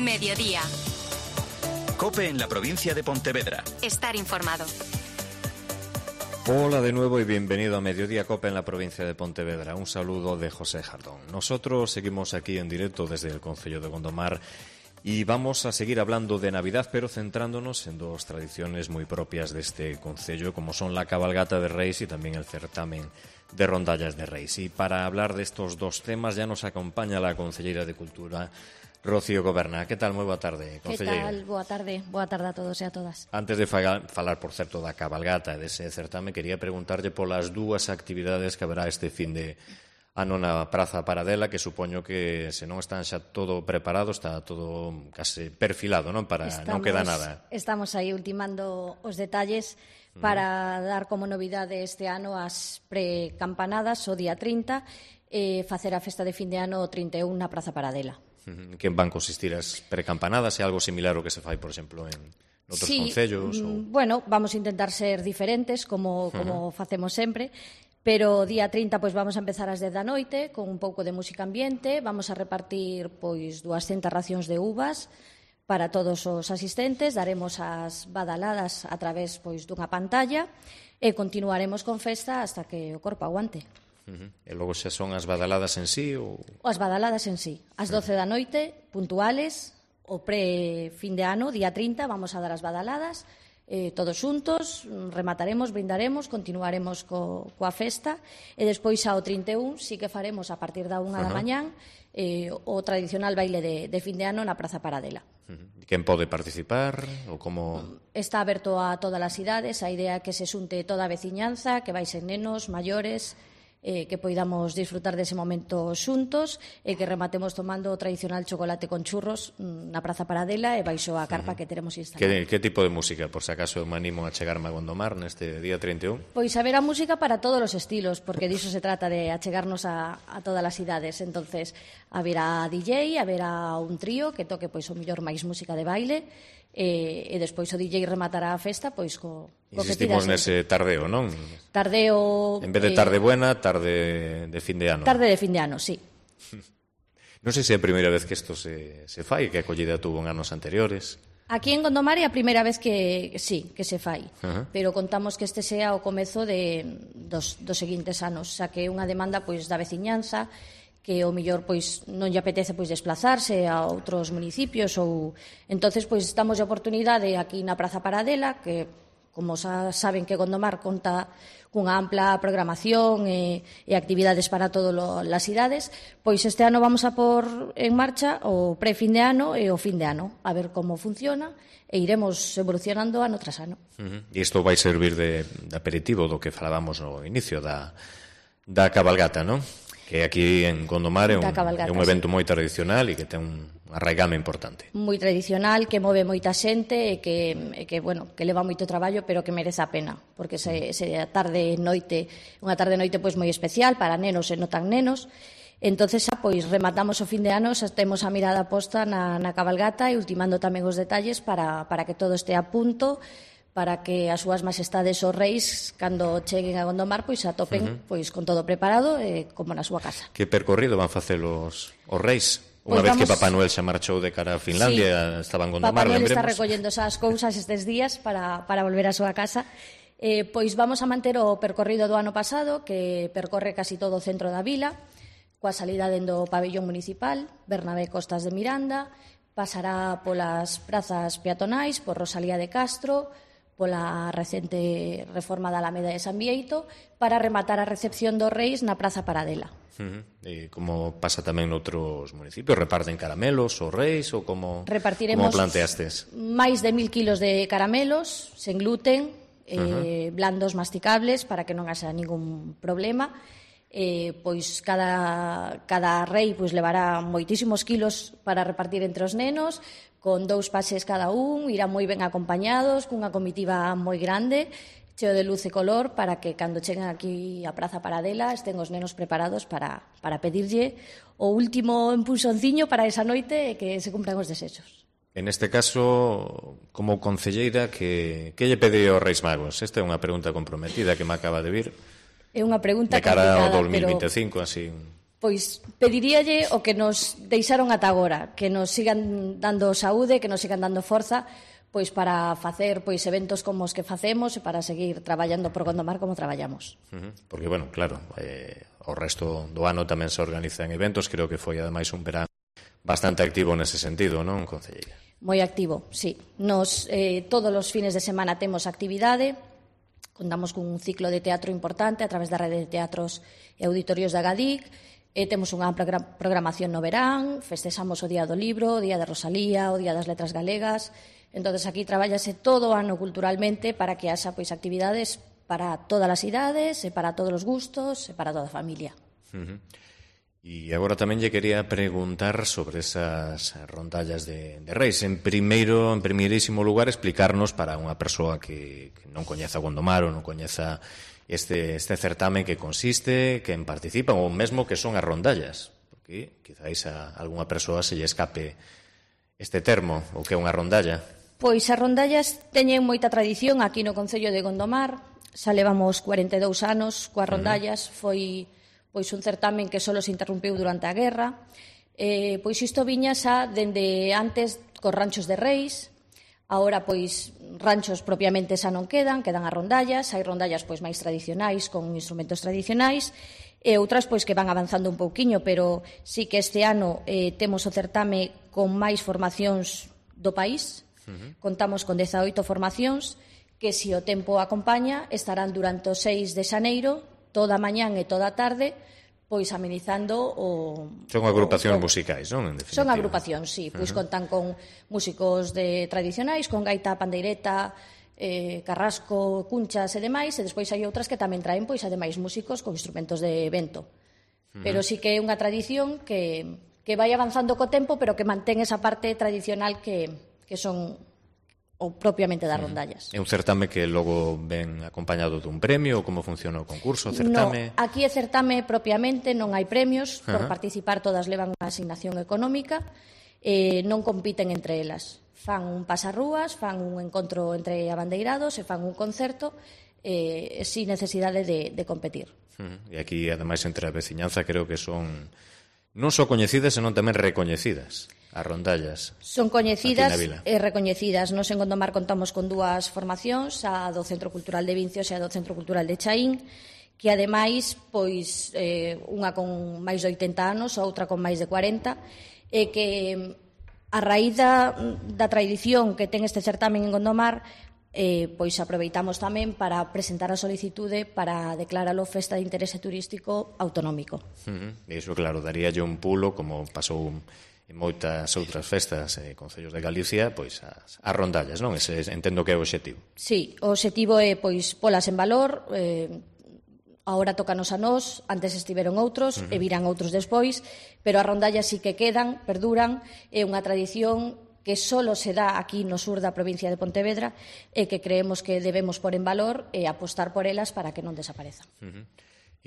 Mediodía. COPE en la provincia de Pontevedra. Estar informado. Hola de nuevo y bienvenido a Mediodía COPE en la provincia de Pontevedra. Un saludo de José Jardón. Nosotros seguimos aquí en directo desde el concello de Gondomar y vamos a seguir hablando de Navidad, pero centrándonos en dos tradiciones muy propias de este concello, como son la cabalgata de Reis y también el certamen de rondallas de Reis. Y para hablar de estos dos temas ya nos acompaña la concelleira de Cultura, Rocío Goberna. Que tal? Moi boa tarde, concelleira. Que tal? Boa tarde a todos e a todas. Antes de falar, por certo, da cabalgata e dese certame, quería preguntarlle polas dúas actividades que haberá este fin de ano na Praza Paradela, que supoño que se non están xa todo preparado, está todo case perfilado, non? Non queda nada. Estamos aí ultimando os detalles para dar como novidade este ano as precampanadas o día 30 e facer a festa de fin de ano o 31 na Praza Paradela. Que van consistir as precampanadas? É algo similar ao que se fai, por exemplo, en outros concellos? Bueno, vamos a intentar ser diferentes, como facemos sempre, pero o día 30 pois vamos a empezar ás 10 da noite con un pouco de música ambiente, vamos a repartir pois 200 racións de uvas para todos os asistentes, daremos as badaladas a través pois dunha pantalla e continuaremos con festa hasta que o corpo aguante. E logo xa son as badaladas en sí? Ou... As badaladas en sí. As 12 da noite, puntuales, o pre-fin de ano, día 30, vamos a dar as badaladas, todos xuntos, remataremos, brindaremos, continuaremos coa festa, e despois ao 31 sí que faremos a partir da 1 da mañán o tradicional baile de fin de ano na Praza Paradela. Quen pode participar? Ou como... Está aberto a todas as idades, a idea é que se xunte toda a veciñanza, que vai ser nenos, maiores, que poidamos disfrutar dese momento xuntos e que rematemos tomando o tradicional chocolate con churros na Praza Paradela e baixo a carpa que teremos instalada. Que tipo de música, por se acaso me animo a chegarme a Gondomar neste día 31? Pois haberá música para todos os estilos, porque diso se trata, de achegarnos a todas as idades. Entonces, haberá DJ, haberá un trío que toque pois o mellor máis música de baile, e despois o DJ rematará a festa pois co insistimos nese tardeo, non? Tardeo... En vez de tarde buena, tarde de fin de ano. Tarde de fin de ano, sí. Non sei se é a primeira vez que isto se fai, que a acollida tuvo en anos anteriores. Aquí en Gondomar é a primeira vez que se fai, pero contamos que este sea o comezo dos seguintes anos, xa que é unha demanda pois da veciñanza, que o mellor pois non lle apetece pois desplazarse a outros municipios ou entonces pois damos a oportunidade aquí na Praza Paradela, que como xa saben que Gondomar conta cunha ampla programación e actividades para todas as idades, pois este ano vamos a pôr en marcha o pre-fin de ano e o fin de ano, a ver como funciona e iremos evolucionando ano tras ano. E isto vai servir de aperitivo do que falábamos no inicio da cabalgata, non? Que aquí en Gondomar é un evento moi tradicional e que ten un arraigame importante. Moi tradicional, que move moita xente e que leva moito traballo, pero que merece a pena, porque se unha tarde noite pois moi especial para nenos e non tan nenos. Entonces, pois rematamos o fin de ano, xa temos a mirada posta na cabalgata e ultimando tamén os detalles para que todo este a punto, para que as súas majestades os reis, cando cheguen a Gondomar, pois atopen pois con todo preparado como na súa casa. Que percorrido van facer os reis? Unha vez que Papá Noel xa marchou de cara a Finlandia, estaban en Gondomar, Papá Noel lembremos. está recollendo esas cousas estes días para volver á súa casa. Pois vamos a manter o percorrido do ano pasado, que percorre casi todo o centro da vila, coa salida dentro do pabellón municipal, Bernabé Costas de Miranda, pasará polas prazas peatonais, por Rosalía de Castro, pola recente reforma da Alameda de San Bieito, para rematar a recepción dos reis na Praza Paradela. E como pasa tamén noutros municipios, reparten caramelos os reis ou como planteastes? Máis de 1000 kilos de caramelos, sen gluten, blandos masticables, para que non haxa ningún problema. Pois cada rei pois levará moitísimos kilos para repartir entre os nenos, con 2 paxes cada un, irán moi ben acompañados, cunha comitiva moi grande, cheo de luz e color, para que cando cheguen aquí a Praza Paradela estén os nenos preparados para pedirlle o último empuxonciño para esa noite e que se cumpran os desexos. En este caso, como concelleira, que lle pediu aos Reis Magos? Esta é unha pregunta comprometida que me acaba de vir. É unha pregunta de cara complicada, ao 2025, así... Pois pediríalle o que nos deixaron ata agora, que nos sigan dando saúde, que nos sigan dando forza, pois para facer pois eventos como os que facemos e para seguir traballando por Gondomar como traballamos. Porque, bueno, claro, o resto do ano tamén se organizan eventos, creo que foi ademais un verán bastante activo nese sentido, non, concelleira? Moi activo, sí. Nos todos os fines de semana temos actividade, contamos cun ciclo de teatro importante a través da rede de teatros e auditorios da GADIC, temos unha programación no verán, festexamos o Día do Libro, o Día de Rosalía, o Día das Letras Galegas. Entonces aquí traballase todo o ano culturalmente para que haxa pois actividades para todas as idades, e para todos os gustos, e para toda a familia. E agora tamén lle quería preguntar sobre esas rondallas de Reis. En primeirísimo lugar, explicarnos para unha persoa que non coñeza Gondomar ou non coñeza este certamen que consiste, quen participa, ou mesmo que son as rondallas, porque quizáis a algunha persoa se lle escape este termo, o que é unha rondalla. Pois as rondallas teñen moita tradición aquí no Concello de Gondomar, xa levamos 42 anos coas rondallas, foi pois un certamen que só se interrompiu durante a guerra, pois isto viña xa dende antes cos ranchos de Reis. Agora, pois, ranchos propiamente xa non quedan as rondallas, hai rondallas pois máis tradicionais, con instrumentos tradicionais, e outras pois que van avanzando un pouquiño, pero sí que este ano temos o certame con máis formacións do país, contamos con 18 formacións, que se o tempo acompaña estarán durante o 6 de xaneiro, toda a mañán e toda a tarde, pois amenizando o... Son agrupacións musicais, non? En definitiva. Son agrupacións, sí. Pois contan con músicos tradicionais, con gaita, pandeireta, carrasco, cunchas e demais, e despois hai outras que tamén traen, pois, ademais, músicos con instrumentos de vento. Pero sí que é unha tradición que vai avanzando co tempo, pero que mantén esa parte tradicional que son ou propiamente das rondallas. É un certame que logo ven acompañado dun premio, ou como funciona o concurso, o certame? No, aquí é certame propiamente, non hai premios, por participar todas levan unha asignación económica, non compiten entre elas. Fan un pasarrúas, fan un encontro entre abandeirados e fan un concerto sin necesidade de competir. E aquí, ademais, entre a veciñanza creo que son non só coñecidas, senón tamén recoñecidas. As rondallas. Son coñecidas e recoñecidas. Nos en Gondomar contamos con dúas formacións, a do Centro Cultural de Vincios e a do Centro Cultural de Chaín, que ademais, pois, unha con máis de 80 anos, outra con máis de 40, e que a raíz da tradición que ten este certamen en Gondomar, pois aproveitamos tamén para presentar a solicitude para declaralo festa de interese turístico autonómico. E iso, claro, daríalle un pulo, como pasou en moitas outras festas e concellos de Galicia, pois as rondallas, non? Ese entendo que é o obxectivo. Sí, o obxectivo é pois polas en valor, agora tócanos a nós, antes estiveron outros e virán outros despois, pero as rondallas sí que quedan, perduran, é unha tradición que só se dá aquí no sur da provincia de Pontevedra e que creemos que debemos pôr en valor e apostar por elas para que non desaparezan.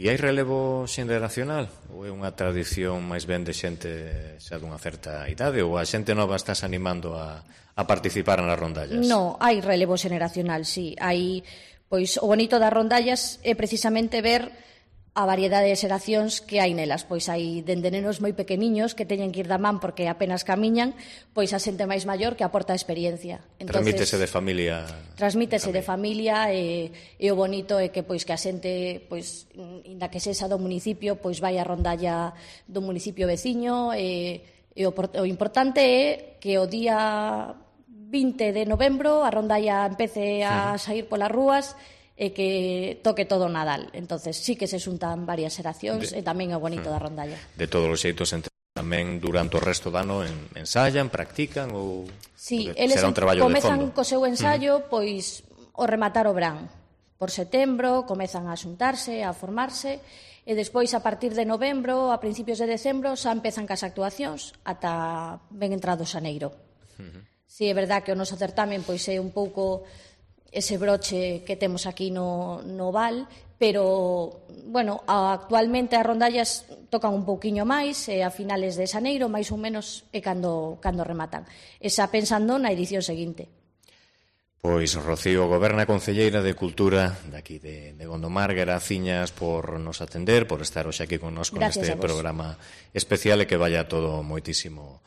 E hai relevo xeneracional? Ou é unha tradición máis ben de xente xa dunha certa idade? Ou a xente nova estás animando a participar nas rondallas? No, hai relevo xeneracional, sí. Hai, pois, o bonito das rondallas é precisamente ver a variedade de xeracións que hai nelas. Pois hai dende nenos moi pequeniños que teñen que ir da man porque apenas camiñan, pois a xente máis maior que aporta a experiencia. Transmítese de familia. Transmítese de familia e o bonito é que pois que a xente, pois inda que sexa do municipio, pois vai a rondalla do municipio veciño e o importante é que o día 20 de novembro a rondalla empece a sair polas rúas e que toque todo o Nadal. Entonces sí que se xuntan varias xeracións e tamén é bonito da rondalla. De todos os xeitos, tamén durante o resto do ano ensayan, practican ou sí, eles comezan co seu ensaio pois o rematar o verán. Por setembro comezan a xuntarse, a formarse e despois a partir de novembro, a principios de decembro xa empezan cas actuacións ata ben entrado xaneiro. Si é verdad que o noso certamen pois é un pouco ese broche que temos aquí no Val, pero, bueno, actualmente as rondallas tocan un pouquiño máis, a finales de xaneiro, máis ou menos, é cando rematan. E xa pensando na edición seguinte. Pois Rocío Goberna, concelleira de Cultura daqui de Gondomar, graciñas por nos atender, por estar hoxe aquí connosco neste programa especial e que vaya todo moitísimo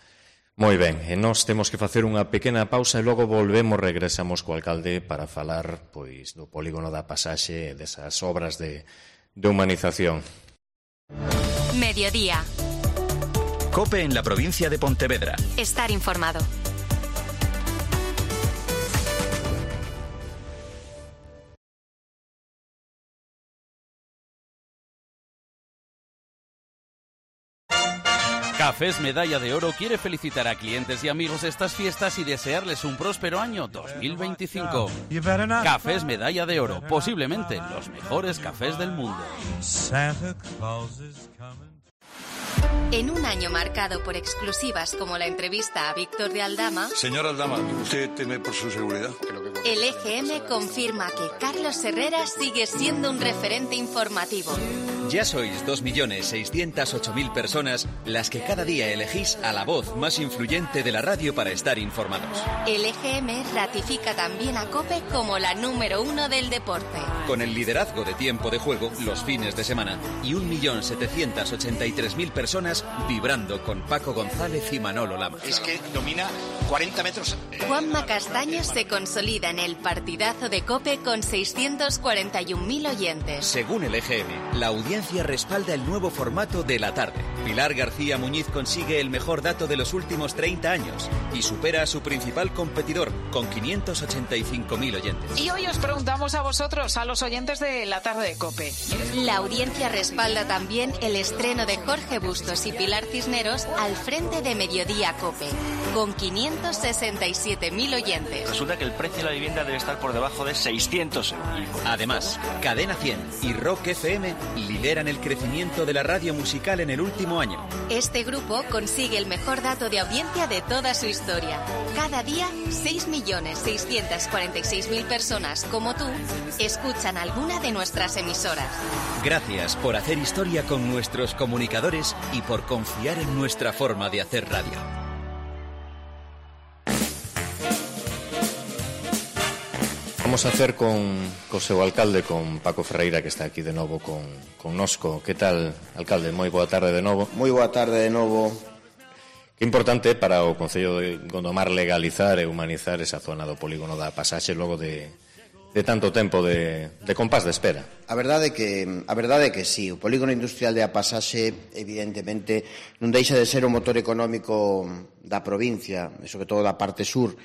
moi ben. E nós temos que facer unha pequena pausa e logo regresamos co alcalde para falar pois do polígono da Pasaxe e desas obras de humanización. Mediodía. COPE en la provincia de Pontevedra. Estar informado. Cafés Medalla de Oro quiere felicitar a clientes y amigos de estas fiestas y desearles un próspero año 2025. Cafés Medalla de Oro, posiblemente los mejores cafés del mundo. En un año marcado por exclusivas como la entrevista a Víctor de Aldama... Señor Aldama, ¿usted teme por su seguridad? El EGM confirma que Carlos Herrera sigue siendo un referente informativo. Ya sois 2.608.000 personas las que cada día elegís a la voz más influyente de la radio para estar informados. El EGM ratifica también a COPE como la número 1 del deporte. Con el liderazgo de tiempo de juego los fines de semana y 1.783.000 personas vibrando con Paco González y Manolo Lama. Es que domina 40 metros. Juanma Castaño se consolida en el partidazo de COPE con 641.000 oyentes. Según el EGM, la audiencia respalda el nuevo formato de la tarde. Pilar García Muñiz consigue el mejor dato de los últimos 30 años y supera a su principal competidor con 585.000 oyentes. Y hoy os preguntamos a vosotros, a los oyentes de la tarde de COPE. La audiencia respalda también el estreno de Jorge Bustos y Pilar Cisneros al frente de Mediodía COPE, con 567.000 oyentes. Resulta que el precio de la vivienda debe estar por debajo de 600 euros. Además, Cadena 100 y Rock FM lideran el crecimiento de la radio musical en el último año. Este grupo consigue el mejor dato de audiencia de toda su historia. Cada día, 6.646.000 personas como tú escuchan alguna de nuestras emisoras. Gracias por hacer historia con nuestros comunicadores y por confiar en nuestra forma de hacer radio. Vamos a hacer con o seu alcalde, con Paco Ferreira, que está aquí de novo connosco. Que tal, alcalde? Moi boa tarde de novo. Moi boa tarde de novo. Que importante para o Concello de Gondomar legalizar e humanizar esa zona do polígono da Pasaxe logo de tanto tempo de compás de espera. A verdade é que sí, o polígono industrial de A Pasaxe evidentemente non deixa de ser o motor económico da provincia, e sobre todo da parte sur,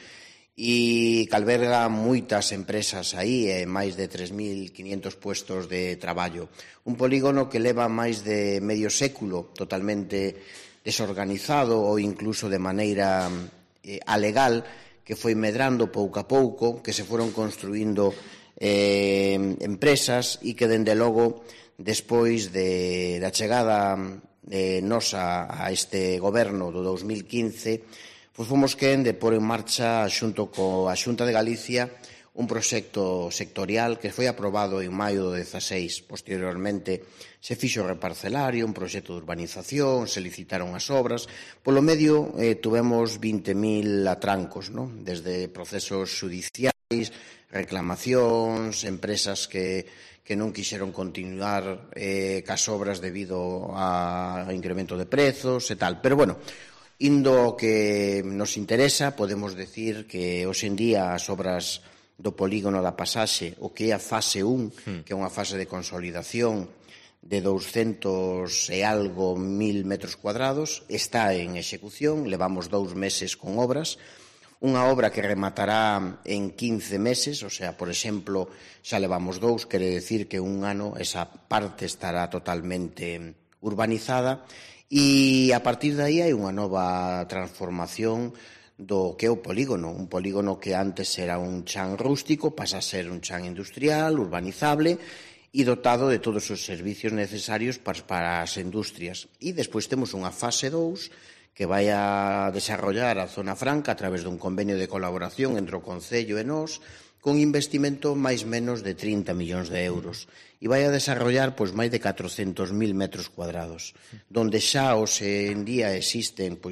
e que alberga moitas empresas aí e máis de 3.500 puestos de traballo. Un polígono que leva máis de medio século totalmente desorganizado ou incluso de maneira alegal, que foi medrando pouco a pouco, que se foron construindo empresas e que, dende logo, despois da chegada nosa a este goberno do 2015, pois fomos quen de pôr en marcha, xunto coa Xunta de Galicia, un proxecto sectorial que foi aprobado en maio do 16. Posteriormente se fixo o reparcelario, un proxecto de urbanización, se licitaron as obras. Polo medio tuvemos 20.000 atrancos, non? Desde procesos judiciais, reclamacións, empresas que non quixeron continuar cas obras debido ao incremento de prezos e tal. Pero, bueno, indo que nos interesa, podemos decir que hoxe en día as obras do polígono da Pasaxe, o que é a fase 1, que é unha fase de consolidación de 200 e algo mil metros cuadrados, está en execución, levamos 2 meses con obras, unha obra que rematará en 15 meses, o sea, por exemplo, xa levamos 2, quere decir que un ano esa parte estará totalmente urbanizada, e a partir de aí hai unha nova transformación do que é o polígono. Un polígono que antes era un chan rústico pasa a ser un chan industrial, urbanizable e dotado de todos os servicios necesarios para as industrias. E despois temos unha fase 2 que vai a desarrollar a zona franca a través dun convenio de colaboración entre o Concello e nós, con investimento máis menos de 30 millóns de euros. E vai a desarrollar máis de 400.000 metros cuadrados, donde xa hoxe en día existen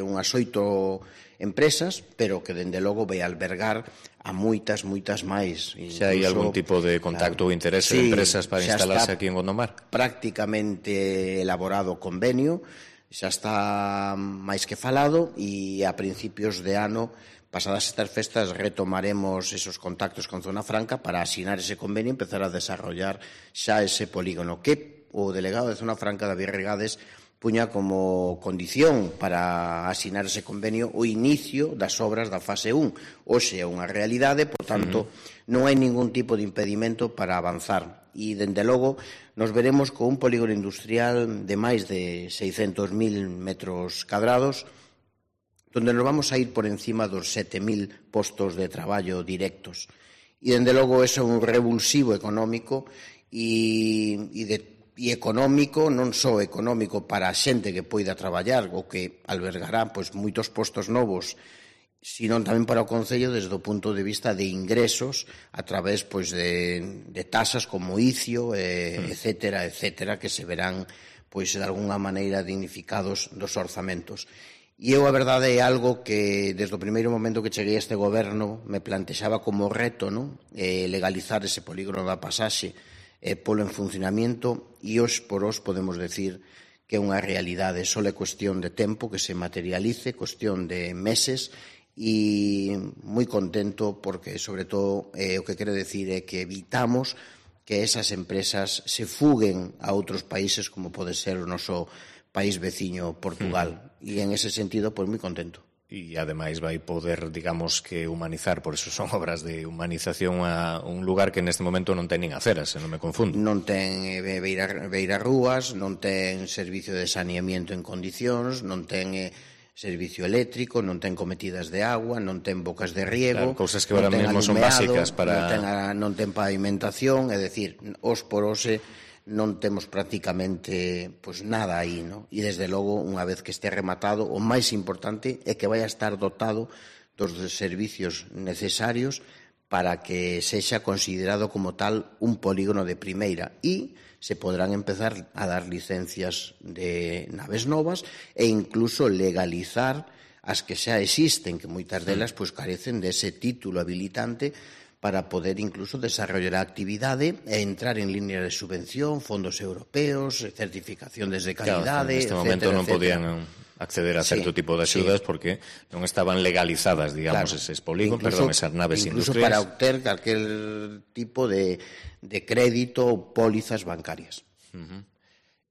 unhas 8 empresas, pero que dende logo vai albergar a moitas máis. Xa hai algún tipo de contacto ou interese de empresas para instalarse aquí en Gondomar? Prácticamente elaborado o convenio, xa está máis que falado, e a principios de ano, pasadas estas festas, retomaremos esos contactos con Zona Franca para asinar ese convenio e empezar a desarrollar xa ese polígono que o delegado de Zona Franca, David Regades, puña como condición para asinar ese convenio o inicio das obras da fase 1. Hoxe é unha realidade, por tanto, non hai ningún tipo de impedimento para avanzar. E, dende logo, nos veremos con un polígono industrial de máis de 600.000 metros cadrados, donde nos vamos a ir por encima dos 7.000 postos de traballo directos. E, dende logo, é un revulsivo económico e económico, non só económico para a xente que poida traballar ou que albergará moitos postos novos, sino tamén para o Concello desde o punto de vista de ingresos a través de tasas como ICIO, etcétera, que se verán de alguna maneira dignificados dos orzamentos. E eu, a verdade, é algo que desde o primeiro momento que cheguei a este goberno me plantexaba como reto, legalizar ese polígono da pasaxe polo en funcionamiento, e hoxe por hoxe podemos decir que é unha realidade. Só é cuestión de tempo que se materialice, cuestión de meses, e moi contento porque, sobre todo, o que quero decir é que evitamos que esas empresas se fuguen a outros países como pode ser o noso país veciño Portugal. E en ese sentido, moi contento. E, ademais, vai poder, digamos, que humanizar, por eso son obras de humanización, a un lugar que neste momento non ten nin aceras, se non me confundo. Non ten beirarrúas, non ten servicio de saneamiento en condicións, non ten servicio eléctrico, non ten cometidas de agua, non ten bocas de riego, cousas que ahora mesmo son básicas para... Non ten pavimentación, é dicir, os por hoxe non temos prácticamente nada aí, non? E desde logo, unha vez que este rematado, o máis importante é que vai a estar dotado dos servicios necesarios para que sexa considerado como tal un polígono de primeira, e se podrán empezar a dar licencias de naves novas e incluso legalizar as que xa existen, que moitas delas carecen dese título habilitante para poder incluso desarrollar a actividade e entrar en línea de subvención, fondos europeos, certificaciones de calidade, etcétera. Neste momento non podían acceder a certo tipo de axudas porque non estaban legalizadas, digamos, eses polígonos, esas naves industriais. Incluso para obter calquer tipo de crédito ou pólizas bancarias.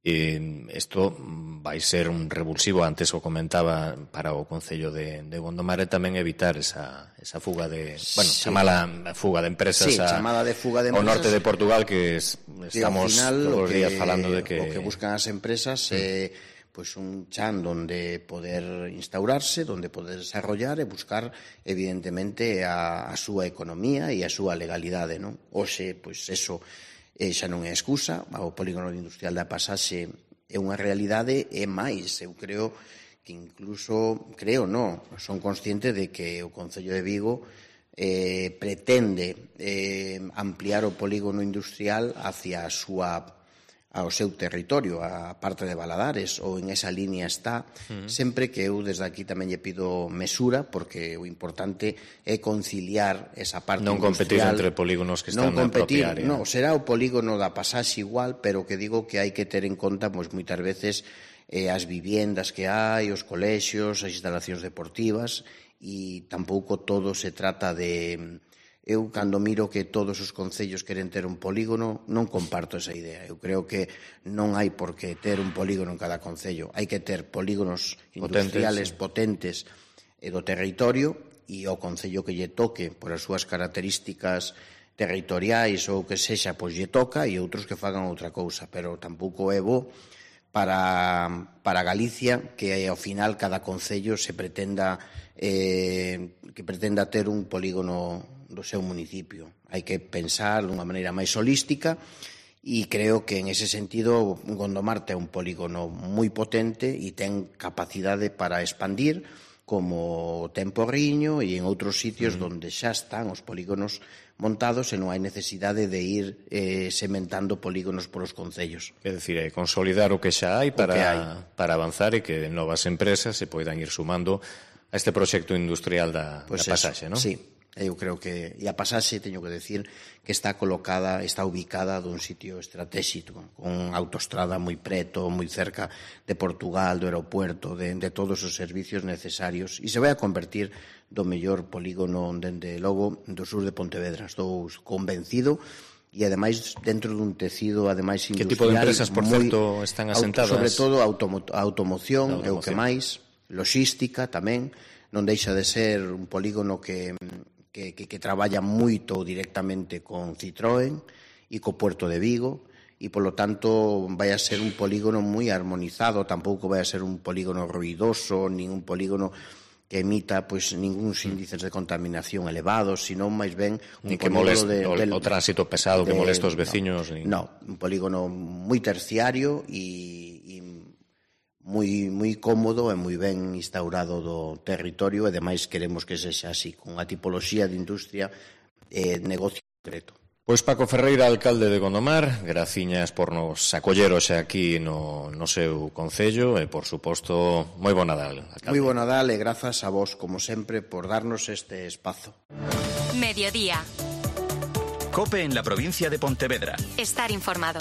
Isto vai ser un revulsivo, antes o comentaba, para o Concello de Gondomar, e tamén evitar esa fuga de, chamala fuga de empresas ao norte de Portugal, que estamos todos os días falando de que... O que buscan as empresas é un chan donde poder instaurarse, donde poder desarrollar e buscar, evidentemente, a súa economía e a súa legalidade, non? Hoxe, eso xa non é excusa, o polígono industrial da pasaxe é unha realidade, e máis, eu creo que incluso, son consciente de que o Concello de Vigo pretende ampliar o polígono industrial hacia ao seu territorio, a parte de Valadares, ou en esa línea está, sempre que eu desde aquí tamén lle pido mesura, porque o importante é conciliar esa parte non industrial. Non competir entre polígonos que están na propia área. Non, será o polígono da pasaxe igual, pero que digo que hai que ter en conta, moitas veces, as viviendas que hai, os colexios, as instalacións deportivas, e tampouco todo se trata de... Eu, cando miro que todos os concellos queren ter un polígono, non comparto esa idea. Eu creo que non hai por que ter un polígono en cada concello. Hai que ter polígonos industriales potentes do territorio, e o concello que lle toque por as súas características territoriais ou que sexa, lle toca, e outros que fagan outra cousa. Pero tampouco é bo para Galicia que ao final cada concello se pretenda ter un polígono do seu municipio. Hai que pensar dunha maneira máis holística, e creo que en ese sentido Gondomar ten un polígono moi potente e ten capacidade para expandir, como ten Porriño e en outros sitios onde xa están os polígonos montados e non hai necesidade de ir sementando polígonos polos concellos. É dicir, consolidar o que xa hai para avanzar e que novas empresas se poidan ir sumando a este proxecto industrial da pasaxe, non? Sí. Eu creo que, e a pasaxe, teño que decir, que está ubicada dun sitio estratégico, con autoestrada moi preto, moi cerca de Portugal, do aeropuerto, de todos os servicios necesarios, e se vai a convertir do mellor polígono, dende logo, do sur de Pontevedra. Estou convencido, e ademais dentro dun tecido ademais industrial. Que tipo de empresas, por certo, están asentadas? Sobre todo automoción, é o que máis, logística tamén, non deixa de ser un polígono que traballa moito directamente con Citroën e co Puerto de Vigo, e polo tanto vai a ser un polígono moi armonizado, tampouco vai a ser un polígono ruidoso, nin un polígono que emita ningún índices de contaminación elevados, senón máis ben un polígono o tránsito pesado que molesta os veciños. No, un polígono moi terciario e moi cómodo e moi ben instaurado do territorio, e demais queremos que sexa así, con a tipoloxía de industria e negocio concreto. Pois Paco Ferreira, alcalde de Gondomar, graciñas por nos acoller hoxe aquí no seu concello e, por suposto, moi bo Nadal, alcalde. Moi bo Nadal e grazas a vos, como sempre, por darnos este espazo. Mediodía. COPE en la provincia de Pontevedra. Estar informado.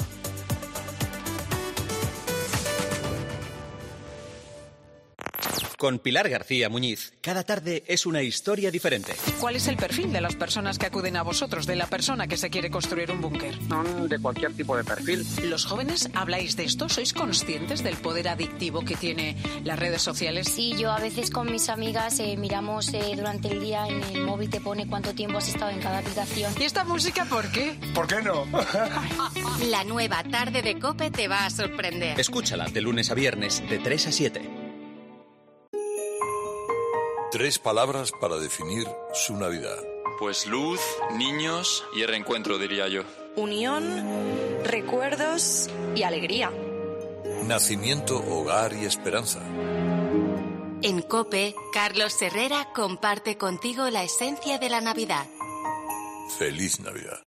Con Pilar García Muñiz, cada tarde es una historia diferente. ¿Cuál es el perfil de las personas que acuden a vosotros, de la persona que se quiere construir un búnker? Son de cualquier tipo de perfil. ¿Los jóvenes habláis de esto? ¿Sois conscientes del poder adictivo que tiene las redes sociales? Sí, yo a veces con mis amigas miramos durante el día en el móvil, te pone cuánto tiempo has estado en cada aplicación. ¿Y esta música por qué? ¿Por qué no? La nueva tarde de COPE te va a sorprender. Escúchala de lunes a viernes de 3 a 7. 3 palabras para definir su Navidad. Pues luz, niños y reencuentro, diría yo. Unión, recuerdos y alegría. Nacimiento, hogar y esperanza. En COPE, Carlos Herrera comparte contigo la esencia de la Navidad. Feliz Navidad.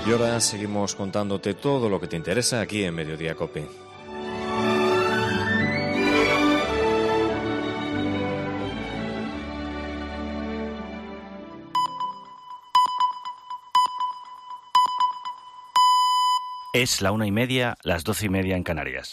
Y ahora seguimos contándote todo lo que te interesa aquí en Mediodía COPE. Es la 1:30, las 12:30 en Canarias.